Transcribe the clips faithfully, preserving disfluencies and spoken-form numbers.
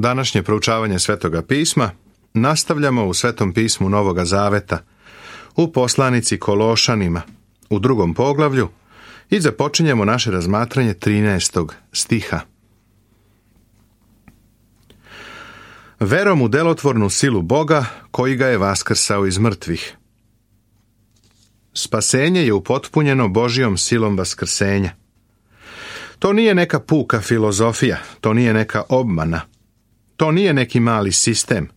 Današnje proučavanje Svetoga pisma nastavljamo u Svetom pismu Novoga Zaveta, u poslanici Kološanima, u drugom poglavlju, i započinjemo naše razmatranje trinaestog stiha. Verom u delotvornu silu Boga, koji ga je vaskrsao iz mrtvih. Spasenje je upotpunjeno Božjom silom vaskrsenja. To nije neka puka filozofija, to nije neka obmana, to nije neki mali sistem,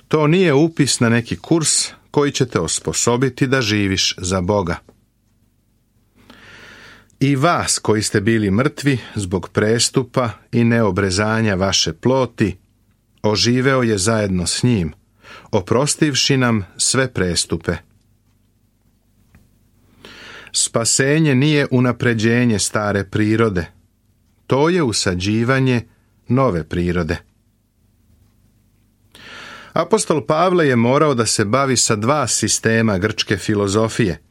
to nije upis na neki kurs koji će te osposobiti da živiš za Boga. I vas koji ste bili mrtvi zbog prestupa i neobrezanja vaše ploti, oživeo je zajedno s njim, oprostivši nam sve prestupe. Spasenje nije unapređenje stare prirode, to je usađivanje nove prirode. Apostol Pavle je morao da se bavi sa dva sistema grčke filozofije,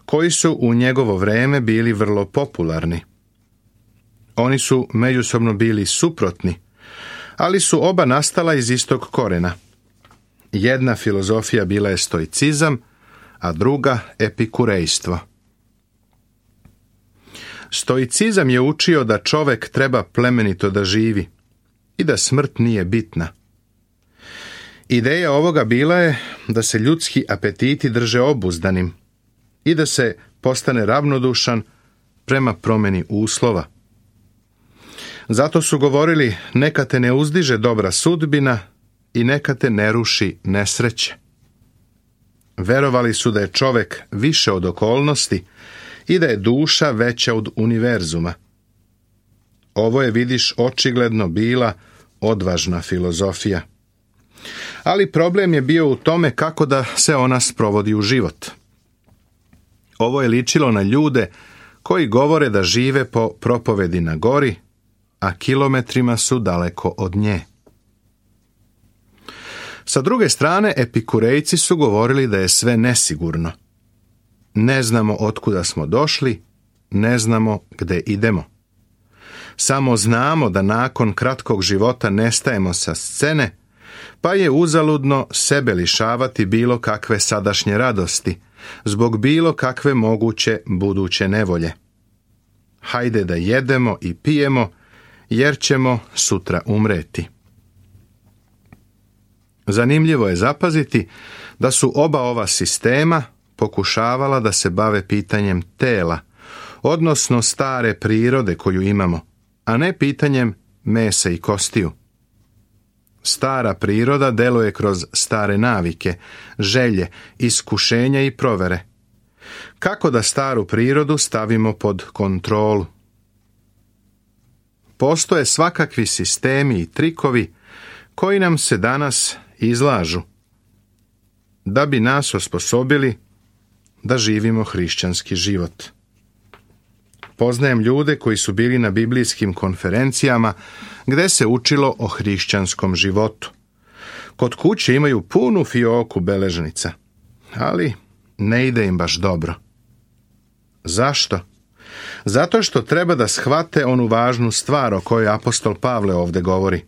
koji su u njegovo vreme bili vrlo popularni. Oni su međusobno bili suprotni, ali su oba nastala iz istog korena. Jedna filozofija bila je stoicizam, a druga epikurejstvo. Stoicizam je učio da čovek treba plemenito da živi i da smrt nije bitna. Ideja ovoga bila je da se ljudski apetiti drže obuzdanim i da se postane ravnodušan prema promjeni uslova. Zato su govorili, neka te ne uzdiže dobra sudbina i neka te ne ruši nesreće. Verovali su da je čovek više od okolnosti i da je duša veća od univerzuma. Ovo je, vidiš, očigledno bila odvažna filozofija. Ali problem je bio u tome kako da se ona sprovodi u život. Ovo je ličilo na ljude koji govore da žive po propovedi na gori, a kilometrima su daleko od nje. Sa druge strane, epikurejci su govorili da je sve nesigurno. Ne znamo otkuda smo došli, ne znamo gde idemo. Samo znamo da nakon kratkog života nestajemo sa scene, pa je uzaludno sebe lišavati bilo kakve sadašnje radosti, zbog bilo kakve moguće buduće nevolje. Hajde da jedemo i pijemo, jer ćemo sutra umreti. Zanimljivo je zapaziti da su oba ova sistema pokušavala da se bave pitanjem tela, odnosno stare prirode koju imamo, a ne pitanjem mesa i kostiju. Stara priroda deluje kroz stare navike, želje, iskušenja i provere. Kako da staru prirodu stavimo pod kontrolu? Postoje svakakvi sistemi i trikovi koji nam se danas izlažu, da bi nas osposobili da živimo hrišćanski život. Poznajem ljude koji su bili na biblijskim konferencijama gde se učilo o hrišćanskom životu. Kod kuće imaju punu fioku beležnica, ali ne ide im baš dobro. Zašto? Zato što treba da shvate onu važnu stvar o kojoj apostol Pavle ovde govori.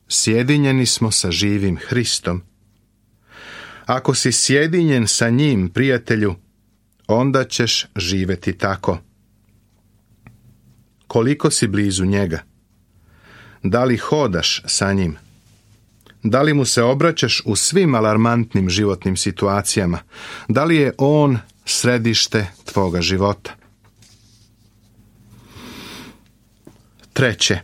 Sjedinjeni smo sa živim Hristom. Ako si sjedinjen sa njim, prijatelju, onda ćeš živeti tako. Koliko si blizu njega? Da li hodaš sa njim? Da li mu se obraćaš u svim alarmantnim životnim situacijama? Da li je on središte tvoga života? Treće.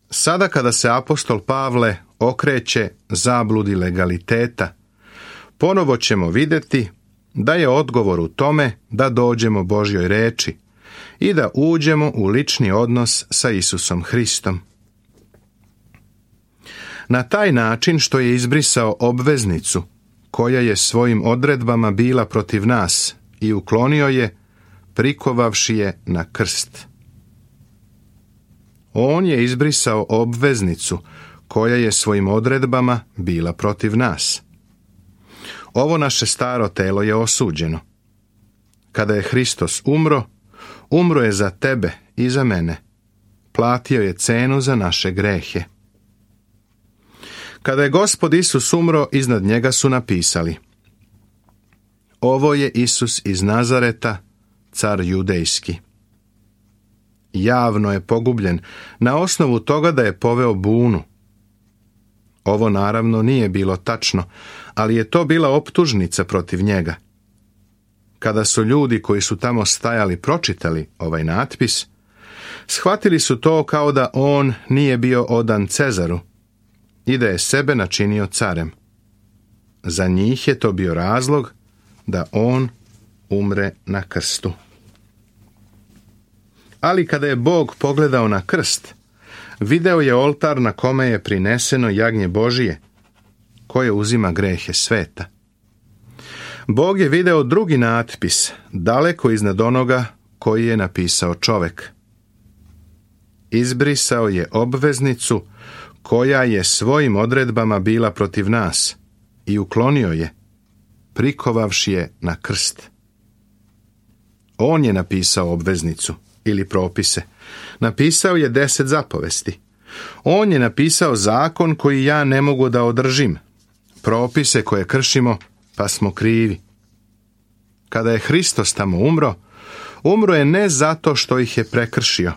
Sada kada se apostol Pavle okreće zabludi legaliteta, ponovo ćemo vidjeti da je odgovor u tome da dođemo Božjoj reči i da uđemo u lični odnos sa Isusom Hristom. Na taj način što je izbrisao obveznicu koja je svojim odredbama bila protiv nas i uklonio je, prikovavši je na krst. On je izbrisao obveznicu koja je svojim odredbama bila protiv nas. Ovo naše staro telo je osuđeno. Kada je Hristos umro, umro je za tebe i za mene. Platio je cenu za naše grehe. Kada je Gospod Isus umro, iznad njega su napisali: Ovo je Isus iz Nazareta, car judejski. Javno je pogubljen na osnovu toga da je poveo bunu. Ovo naravno nije bilo tačno, ali je to bila optužnica protiv njega. Kada su ljudi koji su tamo stajali pročitali ovaj natpis, shvatili su to kao da on nije bio odan Cezaru i da je sebe načinio carem. Za njih je to bio razlog da on umre na krstu. Ali kada je Bog pogledao na krst, video je oltar na kome je prineseno jagnje Božije, koje uzima grehe sveta. Bog je video drugi natpis, daleko iznad onoga koji je napisao čovek. Izbrisao je obveznicu koja je svojim odredbama bila protiv nas i uklonio je, prikovavši je na krst. On je napisao obveznicu ili propise. Napisao je deset zapovesti. On je napisao zakon koji ja ne mogu da održim, propise koje kršimo pa smo krivi. Kada je Hristos tamo umro, umro je ne zato što ih je prekršio.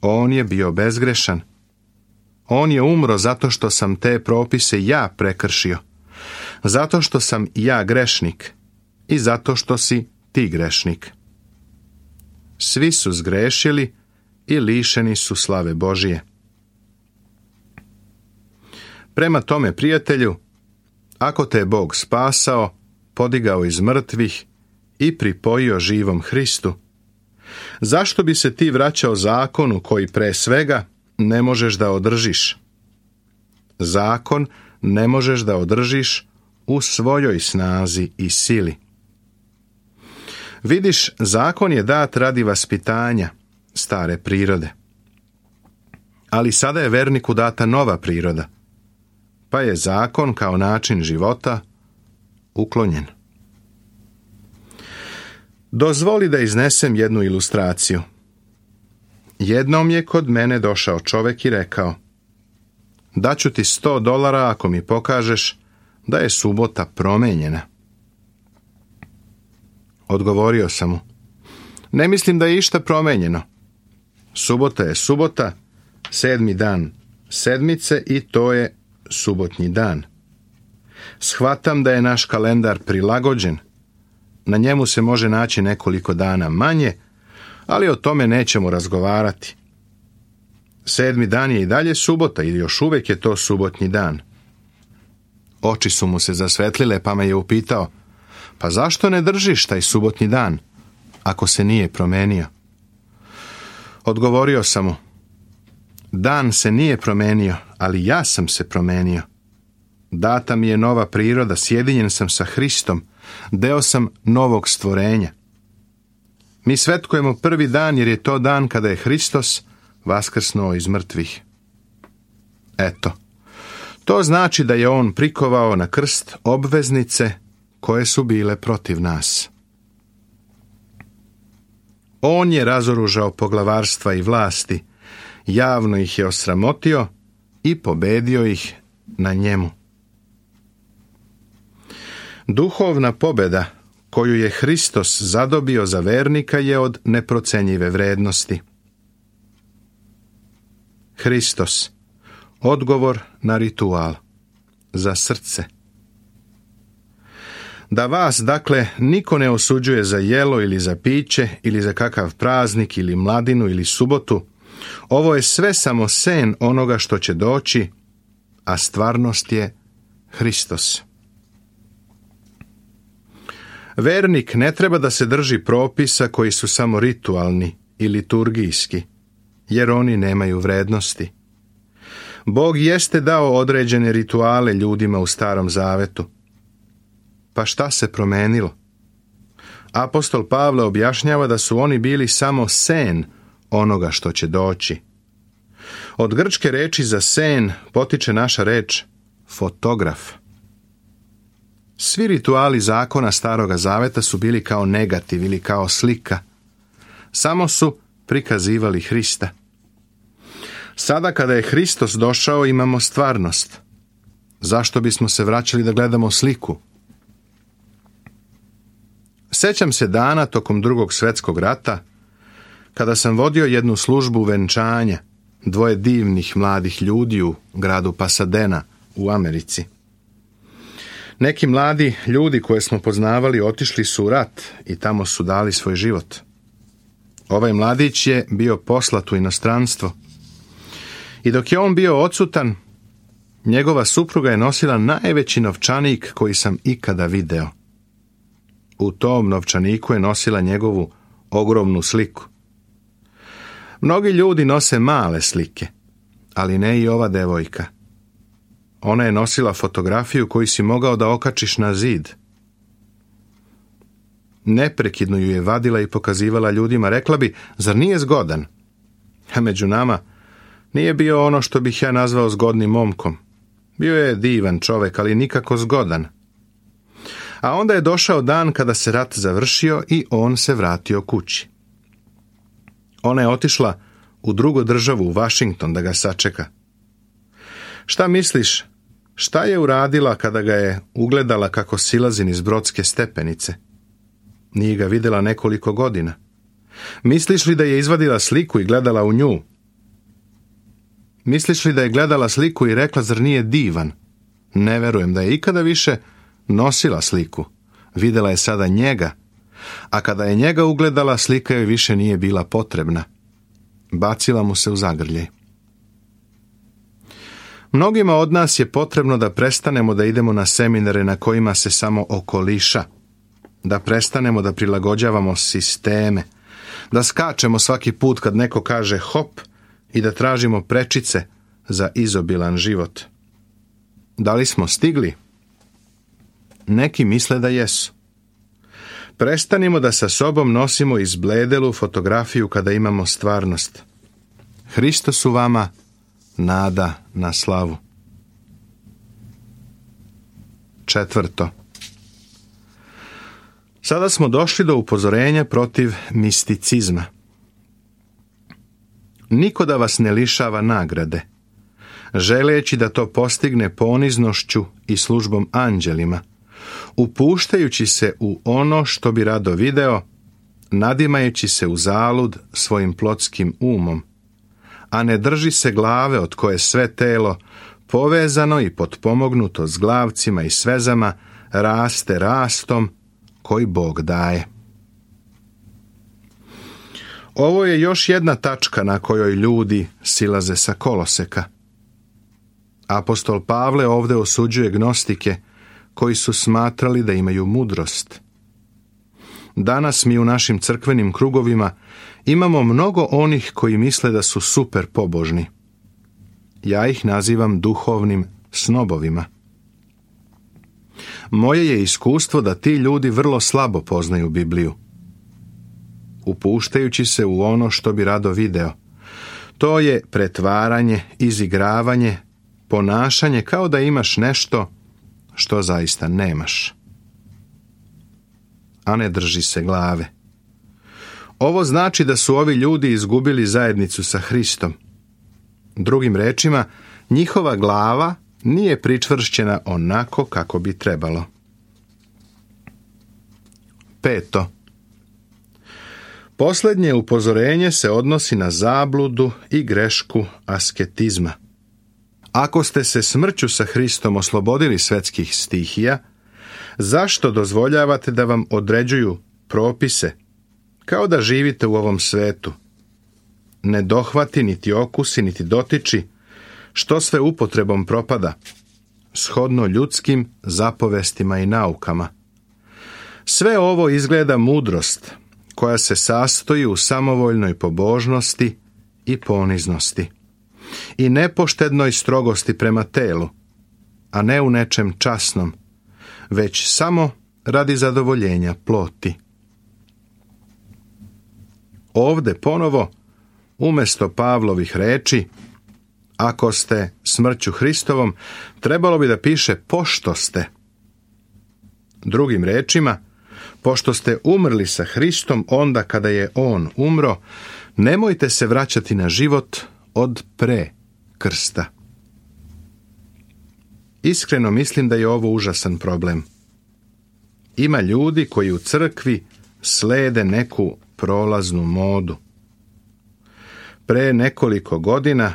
On je bio bezgrešan. On je umro zato što sam te propise ja prekršio, zato što sam ja grešnik i zato što si ti grešnik. Svi su zgrešili i lišeni su slave Božije. Prema tome, prijatelju, ako te je Bog spasao, podigao iz mrtvih i pripojio živom Hristu, zašto bi se ti vraćao zakonu koji pre svega ne možeš da održiš? Zakon ne možeš da održiš u svojoj snazi i sili. Vidiš, zakon je dat radi vaspitanja stare prirode. Ali sada je verniku data nova priroda, pa je zakon kao način života uklonjen. Dozvoli da iznesem jednu ilustraciju. Jednom je kod mene došao čovek i rekao: daću ti sto dolara ako mi pokažeš da je subota promenjena. Odgovorio sam mu: ne mislim da je išta promenjeno. Subota je subota, sedmi dan sedmice i to je subotnji dan. Shvatam da je naš kalendar prilagođen. Na njemu se može naći nekoliko dana manje, ali o tome nećemo razgovarati. Sedmi dan je i dalje subota i još uvijek je to subotnji dan. Oči su mu se zasvetlile pa me je upitao: pa zašto ne držiš taj subotnji dan, ako se nije promenio? Odgovorio sam mu: dan se nije promenio, ali ja sam se promenio. Data mi je nova priroda, sjedinjen sam sa Hristom, deo sam novog stvorenja. Mi svetkujemo prvi dan jer je to dan kada je Hristos vaskrsnuo iz mrtvih. Eto, to znači da je on prikovao na krst obveznice koje su bile protiv nas. On je razoružao poglavarstva i vlasti, javno ih je osramotio i pobedio ih na njemu. Duhovna pobeda koju je Hristos zadobio za vernika je od neprocenjive vrednosti. Hristos, odgovor na ritual, za srce. Da vas, dakle, niko ne osuđuje za jelo ili za piće ili za kakav praznik ili mladinu ili subotu, ovo je sve samo sen onoga što će doći, a stvarnost je Hristos. Vernik ne treba da se drži propisa koji su samo ritualni i liturgijski, jer oni nemaju vrednosti. Bog jeste dao određene rituale ljudima u Starom Zavetu. Pa šta se promenilo? Apostol Pavle objašnjava da su oni bili samo sen onoga što će doći. Od grčke reči za sen potiče naša reč fotograf. Svi rituali zakona Staroga Zaveta su bili kao negativ ili kao slika. Samo su prikazivali Hrista. Sada kada je Hristos došao imamo stvarnost. Zašto bismo se vraćali da gledamo sliku? Sjećam se dana tokom Drugog svjetskog rata, kada sam vodio jednu službu venčanja dvoje divnih mladih ljudi u gradu Pasadena u Americi. Neki mladi ljudi koje smo poznavali otišli su u rat i tamo su dali svoj život. Ovaj mladić je bio poslat u inostranstvo. I dok je on bio odsutan, njegova supruga je nosila najveći novčanik koji sam ikada video. U tom novčaniku je nosila njegovu ogromnu sliku. Mnogi ljudi nose male slike, ali ne i ova devojka. Ona je nosila fotografiju koju si mogao da okačiš na zid. Neprekidno ju je vadila i pokazivala ljudima, rekla bi, zar nije zgodan? A među nama nije bio ono što bih ja nazvao zgodnim momkom. Bio je divan čovek, ali nikako zgodan. A onda je došao dan kada se rat završio i on se vratio kući. Ona je otišla u drugu državu, u Washington, da ga sačeka. Šta misliš, šta je uradila kada ga je ugledala kako silazi niz brodske stepenice? Nije ga vidjela nekoliko godina. Misliš li da je izvadila sliku i gledala u nju? Misliš li da je gledala sliku i rekla, zar nije divan? Ne verujem da je ikada više nosila sliku. Vidjela je sada njega, a kada je njega ugledala, slika joj više nije bila potrebna. Bacila mu se u zagrljaj. Mnogima od nas je potrebno da prestanemo da idemo na seminare na kojima se samo okoliša, da prestanemo da prilagođavamo sisteme, da skačemo svaki put kad neko kaže hop i da tražimo prečice za izobilan život. Da li smo stigli? Neki misle da jesu. Prestanimo da sa sobom nosimo izbledelu fotografiju kada imamo stvarnost. Hristos u vama, nada na slavu. Četvrto. Sada smo došli do upozorenja protiv misticizma. Niko da vas ne lišava nagrade, želeći da to postigne poniznošću i službom anđelima, upuštajući se u ono što bi rado video, nadimajući se u zalud svojim plotskim umom, a ne drži se glave od koje sve telo, povezano i potpomognuto s glavcima i svezama, raste rastom koji Bog daje. Ovo je još jedna tačka na kojoj ljudi silaze sa koloseka. Apostol Pavle ovdje osuđuje gnostike koji su smatrali da imaju mudrost. Danas mi u našim crkvenim krugovima imamo mnogo onih koji misle da su super pobožni. Ja ih nazivam duhovnim snobovima. Moje je iskustvo da ti ljudi vrlo slabo poznaju Bibliju. Upuštajući se u ono što bi rado video. To je pretvaranje, izigravanje, ponašanje kao da imaš nešto što zaista nemaš. A ne drži se glave. Ovo znači da su ovi ljudi izgubili zajednicu sa Hristom. Drugim rečima, njihova glava nije pričvršćena onako kako bi trebalo. Peto. Posljednje upozorenje se odnosi na zabludu i grešku asketizma. Ako ste se smrću sa Hristom oslobodili svetskih stihija, zašto dozvoljavate da vam određuju propise, kao da živite u ovom svetu? Ne dohvati, niti okusi, niti dotiči, što sve upotrebom propada, shodno ljudskim zapovestima i naukama. Sve ovo izgleda mudrost, koja se sastoji u samovoljnoj pobožnosti i poniznosti i nepoštednoj strogosti prema telu, a ne u nečem časnom, već samo radi zadovoljenja ploti. Ovde ponovo, umjesto Pavlovih reči, ako ste smrću Hristovom, trebalo bi da piše pošto ste. Drugim rečima, pošto ste umrli sa Hristom onda kada je On umro, nemojte se vraćati na život od pre krsta. Iskreno mislim da je ovo užasan problem. Ima ljudi koji u crkvi slede neku prolaznu modu. Pre nekoliko godina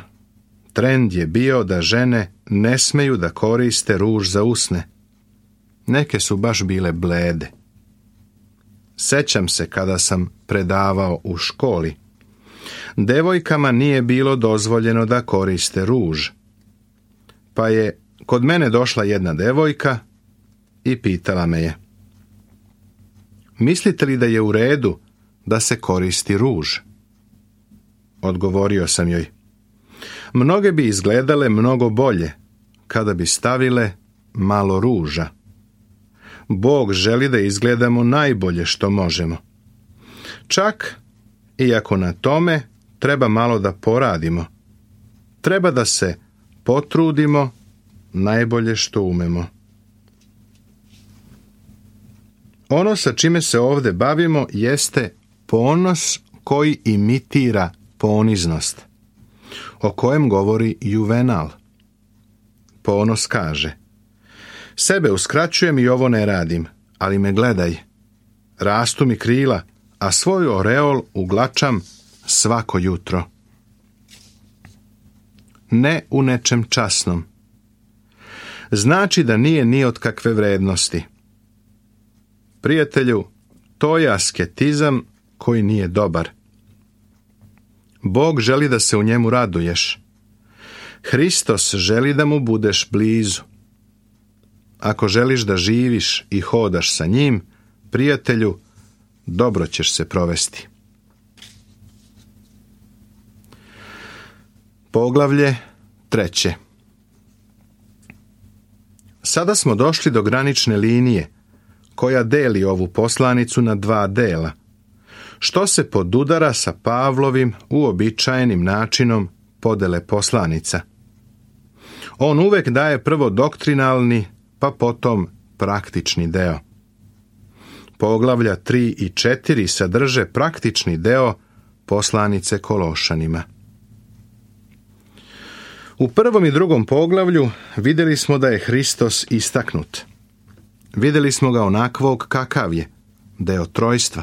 trend je bio da žene ne smeju da koriste ruž za usne. Neke su baš bile blede. Sećam se kada sam predavao u školi. Devojkama nije bilo dozvoljeno da koriste ruž. Pa je kod mene došla jedna devojka i pitala me je: mislite li da je u redu da se koristi ruž? Odgovorio sam joj: mnoge bi izgledale mnogo bolje kada bi stavile malo ruža. Bog želi da izgledamo najbolje što možemo. Čak i ako na tome treba malo da poradimo. Treba da se potrudimo najbolje što umemo. Ono sa čime se ovdje bavimo jeste ponos koji imitira poniznost, o kojem govori Juvenal. Ponos kaže: sebe uskraćujem i ovo ne radim, ali me gledaj. Rastu mi krila, a svoj oreol uglačam svako jutro. Ne u nečem časnom. Znači da nije ni od kakve vrednosti. Prijatelju, to je asketizam koji nije dobar. Bog želi da se u njemu raduješ. Hristos želi da mu budeš blizu. Ako želiš da živiš i hodaš sa njim, prijatelju, dobro ćeš se provesti. Poglavlje treće. Sada smo došli do granične linije koja deli ovu poslanicu na dva dela, što se podudara sa Pavlovim uobičajenim načinom podele poslanica. On uvek daje prvo doktrinalni, pa potom praktični deo. Poglavlja tri i četiri sadrže praktični deo poslanice Kološanima. U prvom i drugom poglavlju vidjeli smo da je Hristos istaknut. Vidjeli smo ga onakvog kakav je, deo trojstva.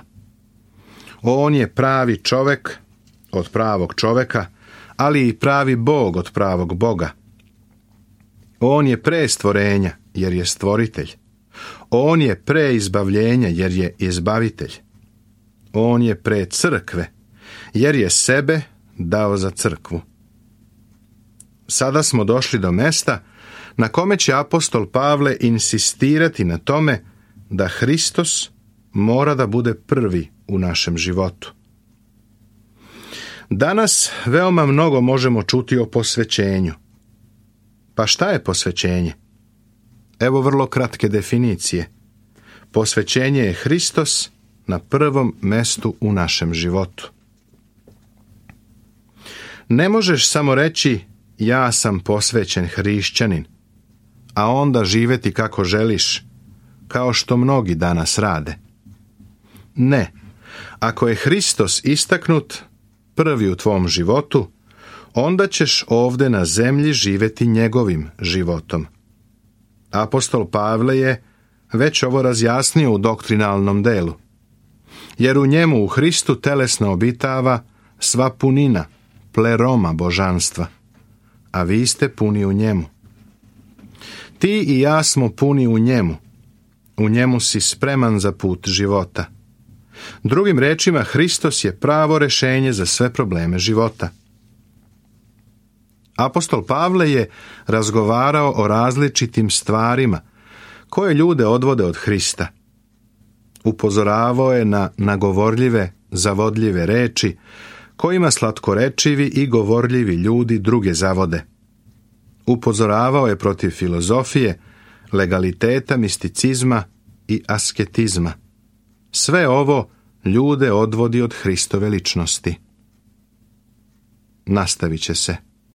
On je pravi čovek od pravog čoveka, ali i pravi Bog od pravog Boga. On je pre stvorenja, jer je stvoritelj. On je pre izbavljenja, jer je izbavitelj. On je pre crkve, jer je sebe dao za crkvu. Sada smo došli do mesta na kome će apostol Pavle insistirati na tome da Hristos mora da bude prvi u našem životu. Danas veoma mnogo možemo čuti o posvećenju. Pa šta je posvećenje? Evo vrlo kratke definicije. Posvećenje je Hristos na prvom mestu u našem životu. Ne možeš samo reći ja sam posvećen hrišćanin, a onda živeti kako želiš, kao što mnogi danas rade. Ne, ako je Hristos istaknut prvi u tvom životu, onda ćeš ovdje na zemlji živeti njegovim životom. Apostol Pavle je već ovo razjasnio u doktrinalnom delu, jer u njemu u Hristu telesno obitava sva punina, pleroma božanstva, a vi ste puni u njemu. Ti i ja smo puni u njemu. U njemu si spreman za put života. Drugim rečima, Hristos je pravo rešenje za sve probleme života. Apostol Pavle je razgovarao o različitim stvarima koje ljude odvode od Hrista. Upozoravao je na nagovorljive, zavodljive reči kojima slatkorečivi i govorljivi ljudi druge zavode. Upozoravao je protiv filozofije, legaliteta, misticizma i asketizma. Sve ovo ljude odvodi od Hristove ličnosti. Nastavit će se.